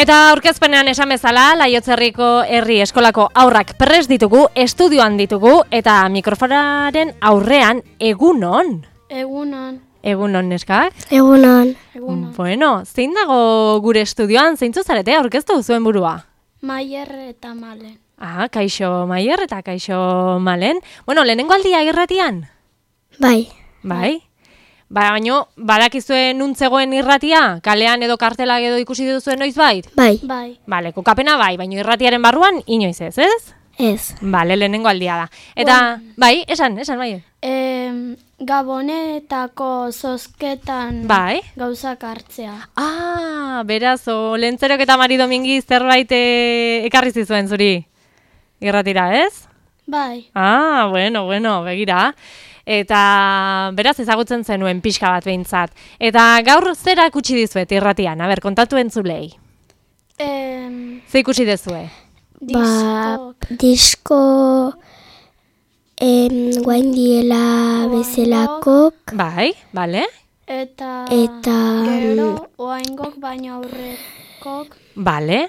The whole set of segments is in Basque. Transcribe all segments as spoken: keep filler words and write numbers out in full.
Eta aurkezpenean esan bezala, Laiotzerriko herri eskolako haurrak prest ditugu, estudioan ditugu, eta mikrofonaren aurrean egunon. Egunon. Egunon, neskak? Egunon. Egunon. Bueno, zein dago gure estudioan, zeintzu zarete, aurkeztu zuen burua? Maier eta Malen. Ah, kaixo Maier eta kaixo Malen. Bueno, lehenengo aldia irratian? Bai. Bai? Ba, baino, badakizue nuntzegoen irratia? Kalean edo kartelak edo ikusi duzuen noiz bait? Bai. Bai. Bale, kokapena bai, baino irratiaren barruan inoiz ez, ez? Ez. Bale, lehenengo aldia da. Eta, bai, esan, esan, bai. E, Gabonetako zozketan Bai. gauzak hartzea. Ah, beraz, o, Lentzerok eta Mari Domingi zerbait eh, ekarri zizuen zuri? Irratira, ez? Bai. Ah, bueno, bueno, begira. Eta beraz ezagutzen zenuen pixka bat behintzat. Eta gaur zera kutsi dizuet irratian, aber, kontatu entzulei. E, Ze ikusi dezue? Ba, diskok. disko em, guain diela bezalakok, Bai, bale? Eta, Eta, gero oaingok baino aurrekok. Bale?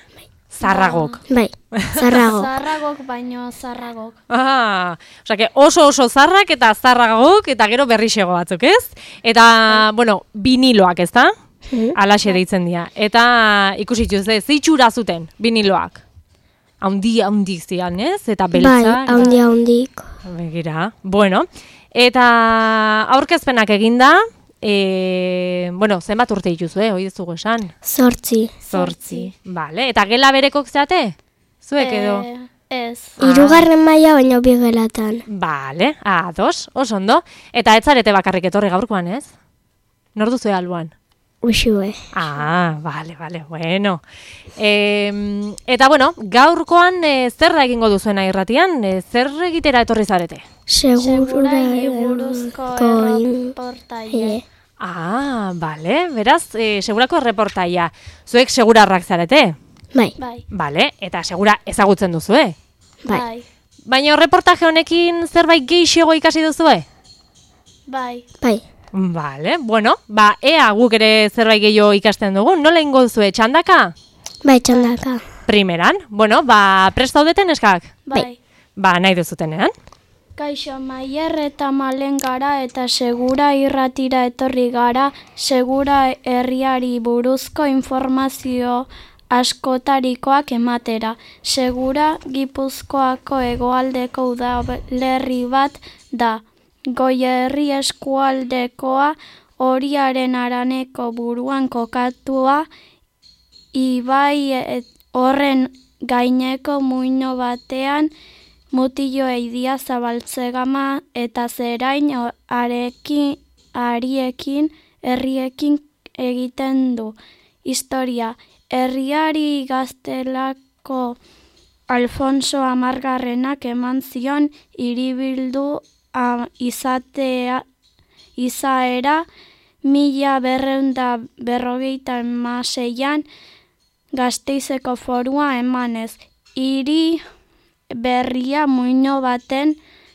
Zarragok. bai, zarrago. Zarragok baino zarragok. Ah, osea, oso oso zarrak eta zarragok eta gero berrixego batzuk, ez? Eta, bueno, viniloak, ez da? Mhm. Alaxe deitzen dira. Eta ikusi ze zeitxura zuten viniloak. Haundi, haundi zian, ez? Eta Bai, beltza. haundi haundik. Begira, bueno. Eta aurkezpenak eginda, e, bueno, zenbat urte dituzu, eh? Hoi ez dugu esan? Zortzi. Zortzi. Vale. Eta gela berekok zeate? Zuek edo? E, ez. Hirugarren maila baino bi gelatan. Vale, ados, oso ondo. Eta ez zarete bakarrik etorri gaurkoan, ez? Nor duzu alboan? Usue. Ah, vale, vale, bueno. E, eta, bueno, gaurkoan e, zer egingo duzuen irratian? E, zer egitera etorri zarete? Segura Segurai buruzko erreportaile. Ah, vale, beraz, e, segurako erreportaia. Zuek segurarrak zarete? Bai, Bai. Vale, eta segura ezagutzen duzue? bai. Bai. Baina reportaje honekin zerbait gehiago ikasi duzue? Bai. Bai. Vale, bueno, ba, ea guk ere zerbait gehiago ikasten dugu. Nola ingo duzue, txandaka? Bai, txandaka. Primeran, bueno, ba, prest zaudeten eskak? Bai. Ba, nahi duzutenean. Kaixo, Maier eta Malen gara eta segura irratira etorri gara, segura herriari buruzko informazio askotarikoak ematera. Segura Gipuzkoako hegoaldeko udalerri bat da. Goierri eskualdekoa horiaren araneko buruan kokatua, ibai et, horren gaineko muino batean mutillo eidia zabaltzegama eta zerain arekin, ariekin, herriekin egiten du. Historia, herriari gaztelako Alfonso Amargarrenak eman zion hiribildu a, izatea, izaera mila berreunda berrogeita hamaseian Gasteizeko forua emanez. Hiri berria muino baten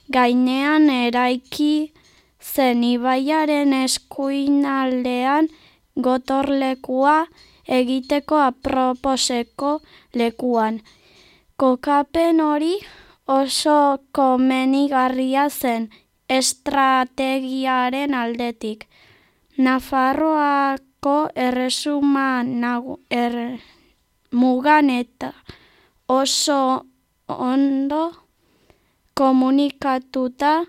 gainean eraiki zen ibaiaren eskuinaldean gotorlekua egiteko aproposeko lekuan. Kokapen hori oso komenigarria zen estrategiaren aldetik. Nafarroako erresuma nagu, er, mugan eta oso ondo komunikatuta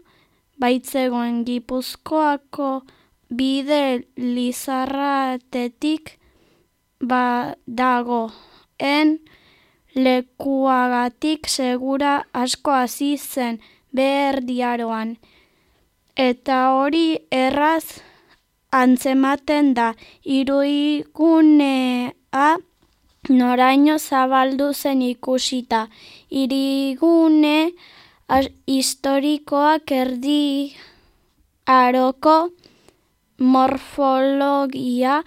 baitzegoen Gipuzkoako bide lizarratetik ba dagoen lekuagatik segura asko hasi zen Beherdiaroan. Eta hori erraz antzematen da iruigunea noraino zabaldu zen ikusita. Hirigune historikoak erdi aroko morfologia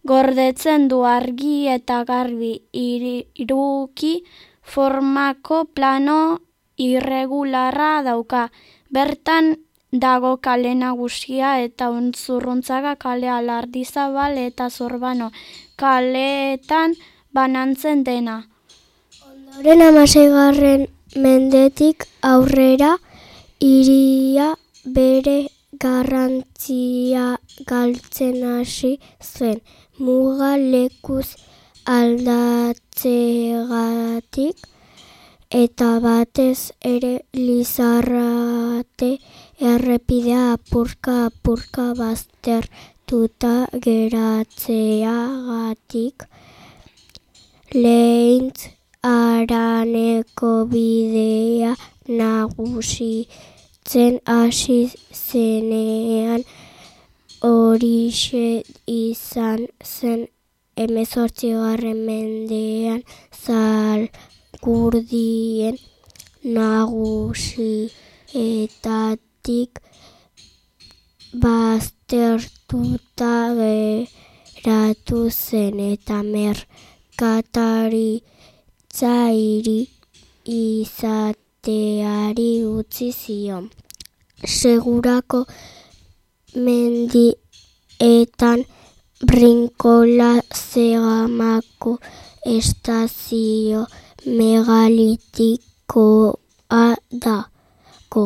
gordetzen du argi eta garbi iruki formako plano irregularra dauka. Bertan dago kale nagusia eta Untzurruntzaga kalea, Lardizabal eta Zurbano kaleetan banantzen dena. Ondoren hamaseigarren mendetik aurrera hiria bere garrantzia galtzen hasi zen, muga lekuz aldatzegatik, eta batez ere Lizarrate errepidea apurka-apurka baztertuta geratzeagatik. Lehintz haraneko bidea nagusitzen hasi zenean, horixe izan zen hemezortzigarren mendean Zalgurdien nagusietatik baztertuta geratu zen eta merkataritza hiri izateari utzi zion. Segurako mendietan Brinkola Zegamako estazio megalitikoa dago.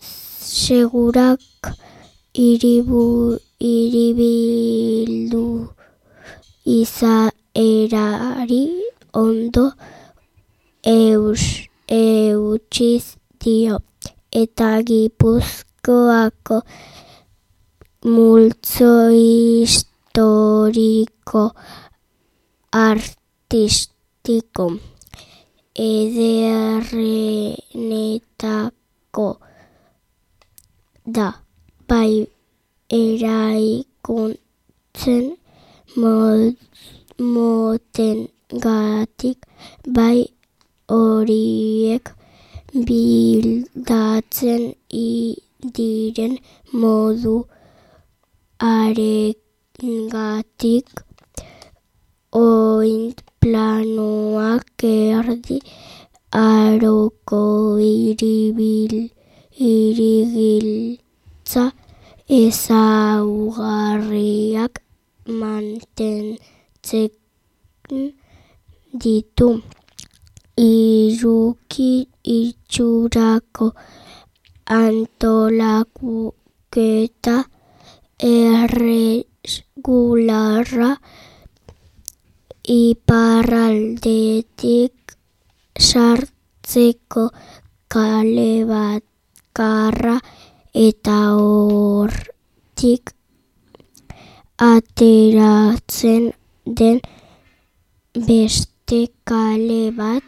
Segurak hiribu, hiribildu izaerari ondo eus, eutxiz dio, eta Gipuzkoako multzo historiko artistiko ederrenetako da, bai eraikuntzen motengatik, bai horiek bildatzen diren modu arengatik, oint planoak erdi aroko iribil, irigiltza ezaugarriak mantentzen ditu. Iruki itxurako antolaketa erregularra, iparraldetik sartzeko kale bakarra eta hortik ateratzen den beste kale bat,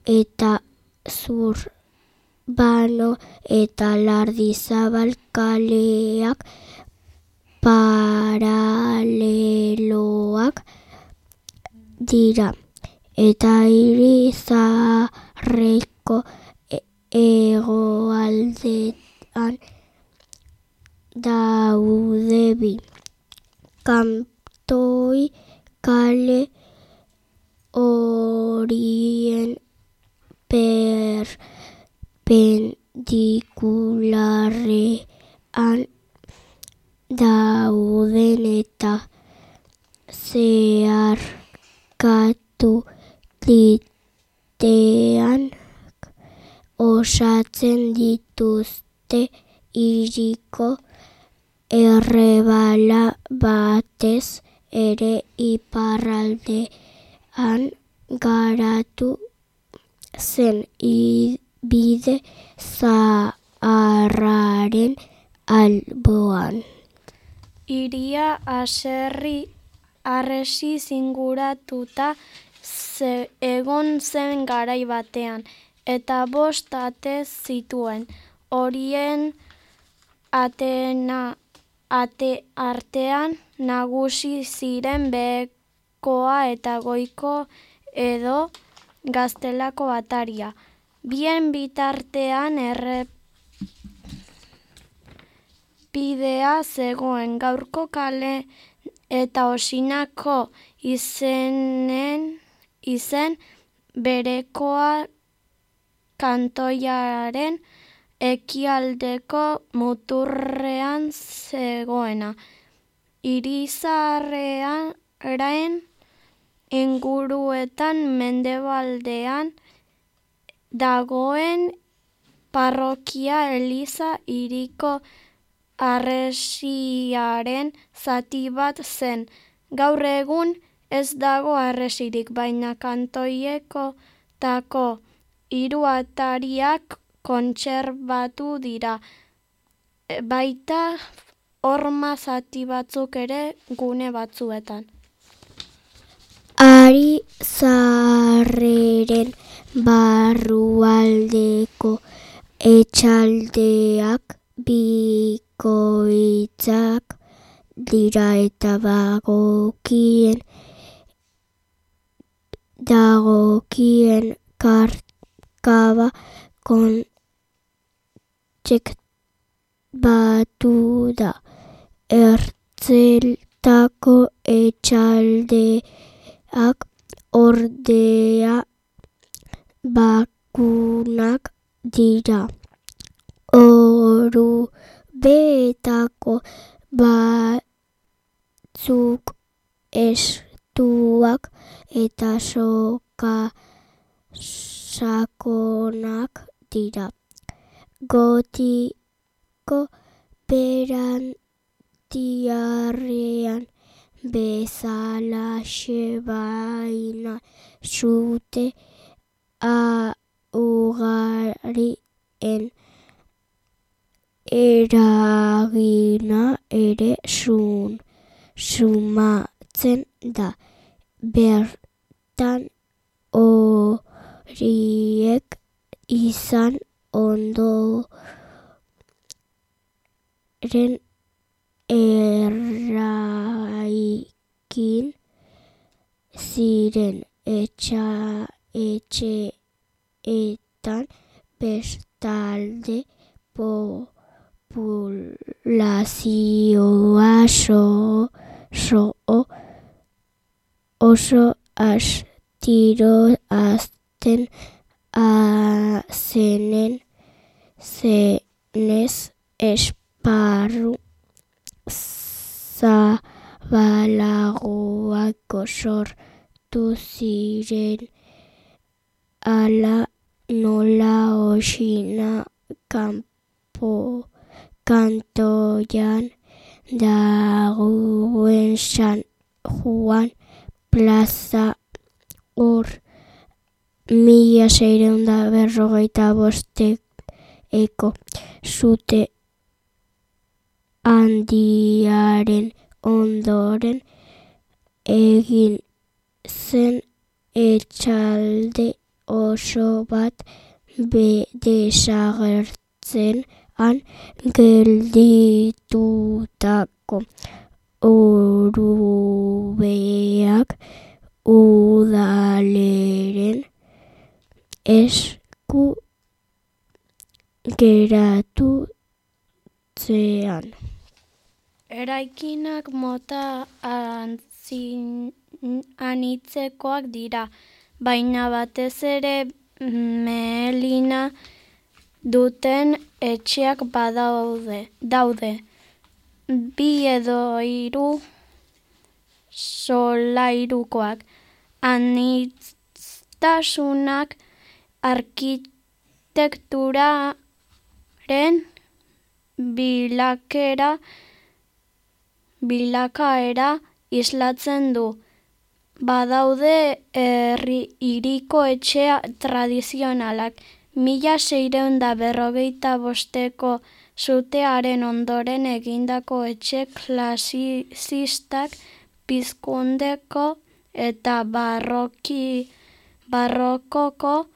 eta Zurbano eta Lardizabal kaleak paraleloak dira, eta hiri zaharreko hegoaldean daude bi. Kantoi kale horien perpendikularrean dauden eta zeharkatu ditean osatzen dituzte hiriko errebala, batez ere iparraldean garatu zen bide zaharraren alboan. Hiria haserri harresi zinguratuta egon zen garai batean, eta bost ate zituen. Horien atena ate artean nagusi ziren behekoa eta goiko edo gaztelako ataria. Bien bitartean errepidea zegoen, gaurko kale eta Osinako izenen izen berekoa kantoiaren ekialdeko muturrean zegoena. Irizarrean inguruetan mendebaldean dagoen parrokia eliza hiriko harresiaren zati bat zen. Gaur egun ez dago harresirik, baina kantoieko tako hiru atariak kontserbatu dira. Baita horma zati batzuk ere gune batzuetan. Ari zaharreren barrualdeko etxaldeak bikoitzak dira eta bagokien dagokien karkaba kontserbatu da. Ertzeltako etxaldeak ordea bakunak dira. Orubetako batzuk estuak eta soka sakonak dira. Gotiko berantiarrean bezalaxe baina zute ugarien eragina ere sun, sumatzen da. Bertan horiek izan ondoren erraikin ziren etxa, etxeetan bestalde populazioa so, so, oso astiro azten azenen zenez esparru zabalagoak sortu ziren. Ala nola osina kanpo kantoian dagoen San Juan plaza hor mila seiehun da berrogeita bosteko zute handiaren ondoren egin zen etxalde oso bat be desagertzen han gelditutako orubeak udaleren esku geratu zean. Eraikinak mota antzin, anitzekoak dira, baina batez ere mehelina duten etxeak badaude. Daude. Bi edo hiru solairukoak. Anitastasunak arkitekturaren bilakera bilakaera islatzen du. Badaude herri hiriko etxea tradizionalak. Mila seiehun da berrogeita bosteko zutearen ondoren egindako etxe klasizistak pizkundeko eta barroki, barrokoko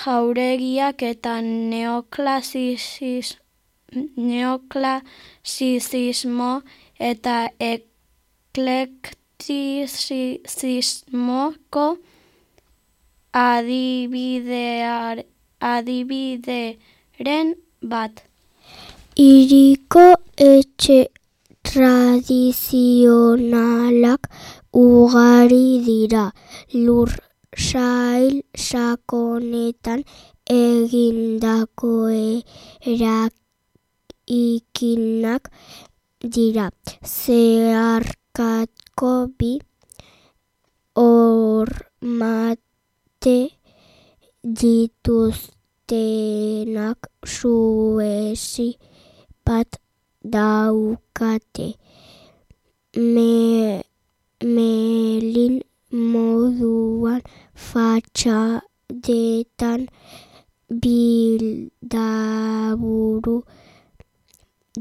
jauregiak eta neoklasizis, neoklasizismo eta eklektizismoko adibidear, adibideren bat. Hiriko etxe tradizionalak ugari dira. Lur sail sakonetan egindako eraikinak dira. Zeharkako bi hormate dituztenak zuezi bat daukate. Me, melin moduan fatxadetan bildaburu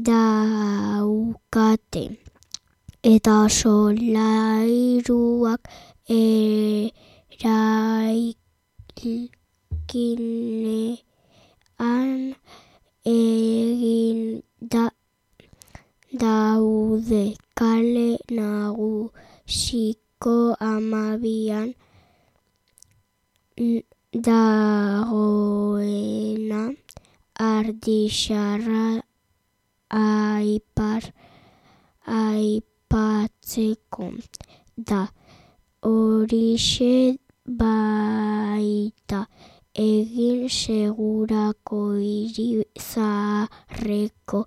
daukate. Eta solairuak eraikinean egin da daude. Kale nagusiko amabian dagoena ardixarra aipar aipatzeko da. Horixe baita egin segurako hiri zaharreko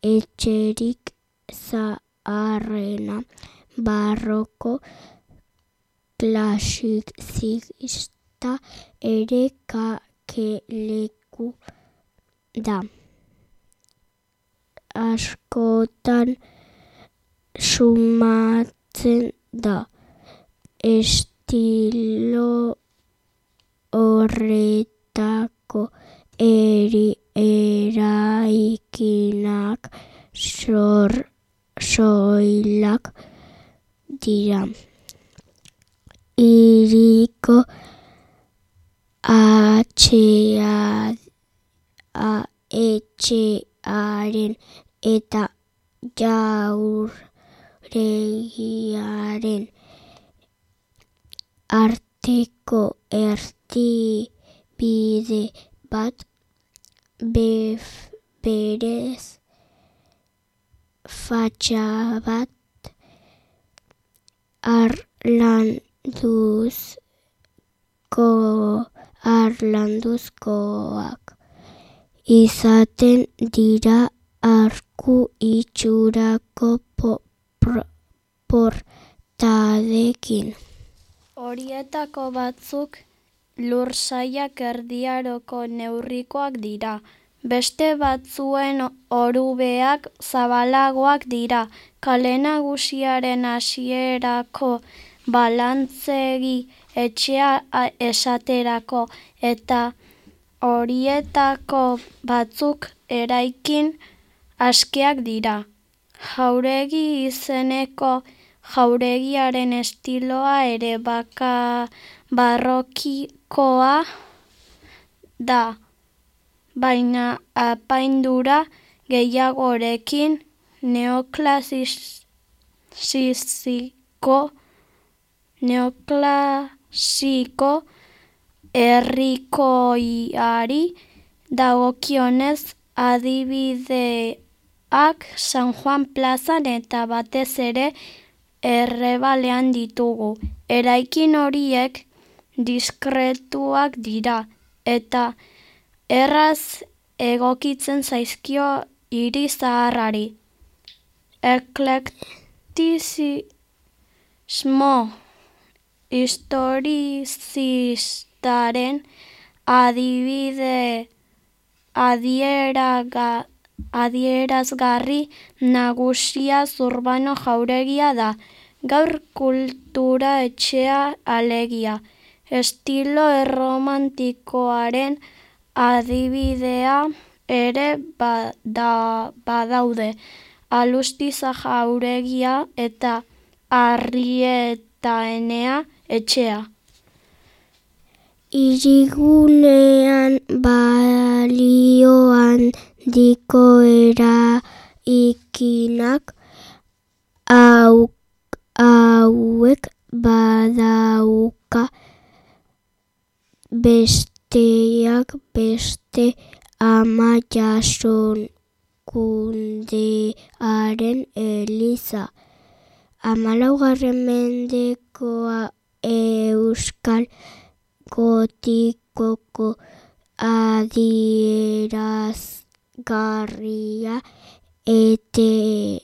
etxerik zaharrena, barroko klasizista ere kakeleku da. Askotan sumatzen da. Estilo horretako eri eraikinak sor soilak dira. Hiriko atxea etxearen eta jauregiaren arteko erdibide bat bef, berez fatxabat arlanduzko arlanduzkoak izaten dira arku itxurako portadekin. Horietako batzuk lursailak erdiaroko neurrikoak dira. Beste batzuen orubeak zabalagoak dira. Kale nagusiaren hasierako balantzegi etxea esaterako eta horietako batzuk eraikin askeak dira. Jauregi izeneko jauregiaren estiloa ere baka barrokikoa da, baina apaindura gehiagorekin neoklasiko neoklasiko herrikoiari dagokionez adibideak San Juan plazan eta batez ere Errebalean ditugu. Eraikin horiek diskretuak dira eta erraz egokitzen zaizkio hiri zaharrari. Eklektizismo historizistaren adibide adieraga adierazgarri nagusia Zurbano jauregia da. Gaur kultura etxea alegia. Estilo erromantikoaren adibidea ere bada, badaude. Alustiza jauregia eta Arrietaenea etxea. Hirigunean balioan diko eraikinak hau, hauek badauka besteak beste ama jasonkundearen eliza. Hamalaugarren mendekoa euskal gotikoko adierazgarria ete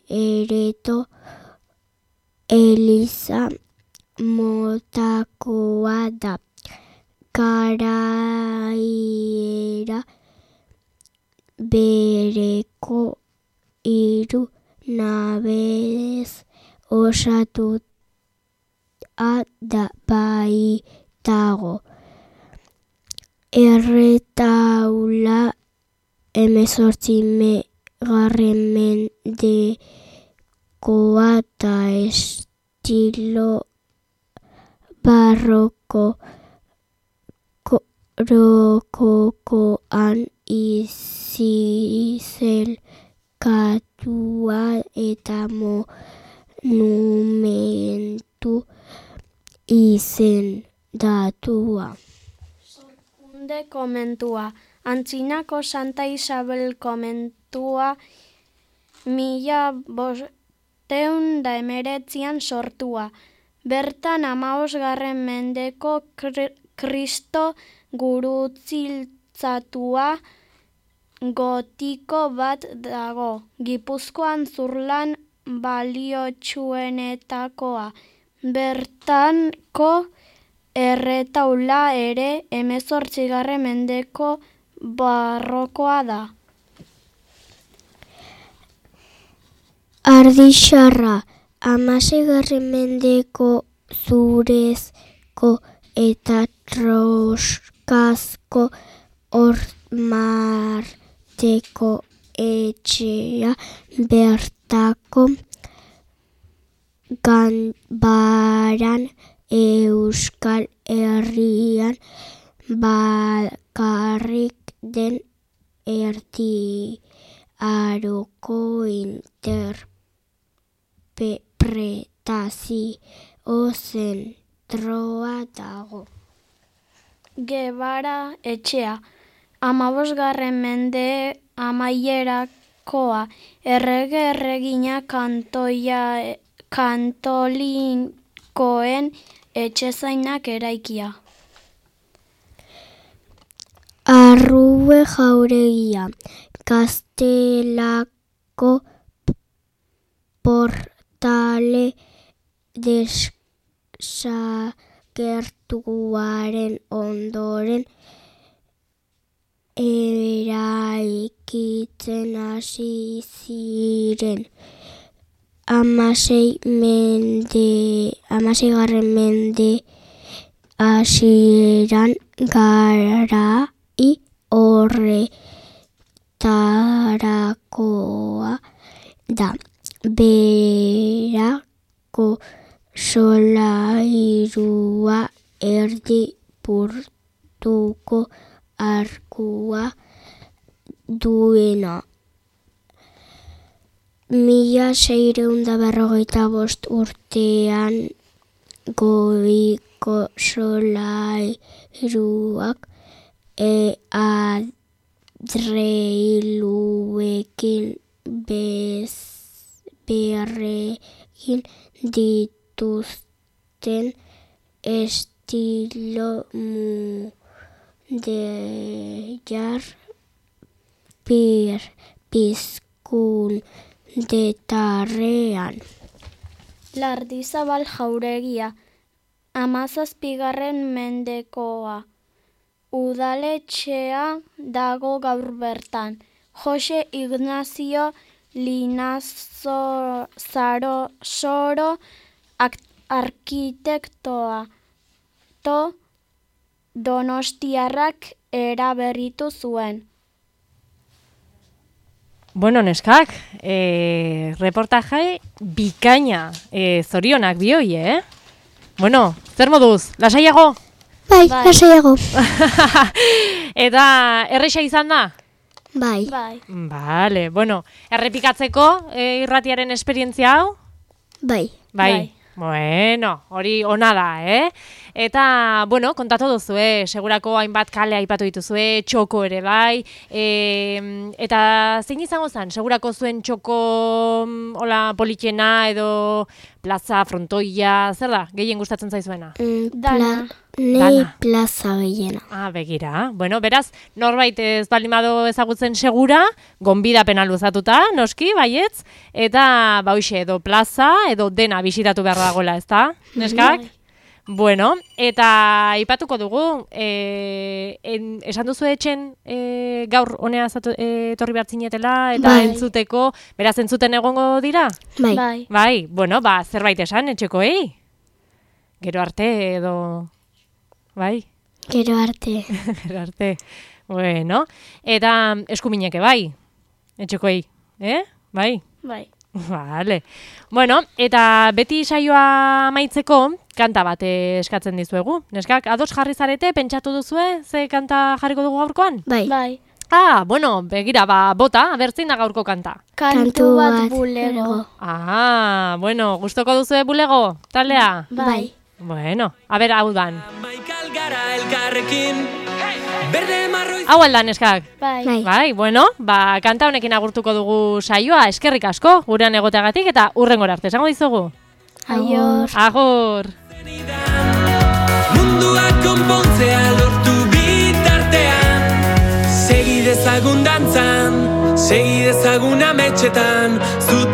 ereto eliza motakoa da. Garaiera bereko hiru nabez osatu da baitago. Erretaula hemezortzi garren mendekoa eta estilo barroko rokokoan izizelkatua eta monumentu izendatua. Sorkunde komentua. Antzinako Santa Isabel komentua mila bosteun da emeretzian sortua. Bertan hamabosgarren mendeko Kristo gurutziltzatua gotiko bat dago. Gipuzkoan zurlan baliotsuenetakoa. Bertanko erretaula ere hemezortzigarren mendeko barrokoa da. Ardixarra, hamaseigarren mendeko zurezko eta troskazko hormarteko etxea bertako ganbaran Euskal Herrian bakarrik den erdi aroko interpretazio zentroa dago. Gebara etxea, hamabosgarren mende amaierakoa, errege erregina kantoia kantolikoen etxezainak eraikia. Arrue jauregia, Kastelako portale desagertuaren ondoren eraikitzen hasi ziren. Hamasei mende, hamaseigarren mende hasieran garai horretarakoa da. Berako solairua erdi portuko arkua duena. Mila seiehun eta berrogeita bost urtean goiko solairuak e adreiluekin bez berregin dituzten estilo mudejar pir pizkun detarrean. Lardizabal jauregia, hamazazpigarren mendekoa. Udaletxea dago gaur bertan. Jose Ignazio Linazaro Soro arkitektoa to Donostiarrak eraberritu zuen. Bueno, neskak, e, reportaje bikaina, e, zorionak bioi, eh? Bueno, zer moduz, lasaiago? Bai, Bai. lasaiago. Eta erresa izan da? Bai. Bai. Vale, bueno, errepikatzeko e, irratiaren esperientzia hau? Bai. Bai. Bai. Bueno, hori ona da, eh? Eta, bueno, kontatu duzu, eh? Segurako hainbat kale aipatu dituzue, txoko ere bai. E, eta zein izango zen? Segurako zuen txoko hola politxena edo plaza, frontoia, zer da? Gehien gustatzen zaizuena? Mm, Dana. pla- Nei Dana. plaza gehiena. Ah, begira. Bueno, beraz, norbait ez baldin badu ezagutzen segura, gonbidapena luzatuta, noski, baietz, eta ba hoxe, edo plaza, edo dena bisitatu behar dagoela, ezta? Neskak? Bai. Bueno, eta aipatuko dugu, e, en, esan duzu etxen e, gaur honea zatu, e, torri behartzinetela, eta Bai. entzuteko, beraz entzuten egongo dira? Bai. Bai. Bai, bueno, ba, zerbait esan etxekoei? Gero arte edo... Bai, Gero arte. gero arte. Bueno, eta eskumineke bai, etxekoei, eh? Bai? Bai. Vale. Bueno, eta beti saioa amaitzeko kanta bat eh, eskatzen dizuegu. Neskak, ados jarri zarete, pentsatu duzue, ze kanta jarriko dugu gaurkoan? Bai. Bai. Ah, bueno, begira, ba, bota, abertzin da gaurko kanta. Kantu bat bulego. Ah, bueno, gustoko duzue bulego, taldea? Bai. Bueno, a ber, hau dan. Maikal gara elkarrekin, berde marroi. Hau aldan, neskak? Bai. Bai. Bai, bueno, ba, kanta honekin agurtuko dugu saioa, eskerrik asko, gurean egoteagatik, eta hurrengora arte, esango dizugu? Aior. Agur! Mundua konpontzea lortu bitartean, segi dezagun dantzan, segi dezagun ametxetan, zuta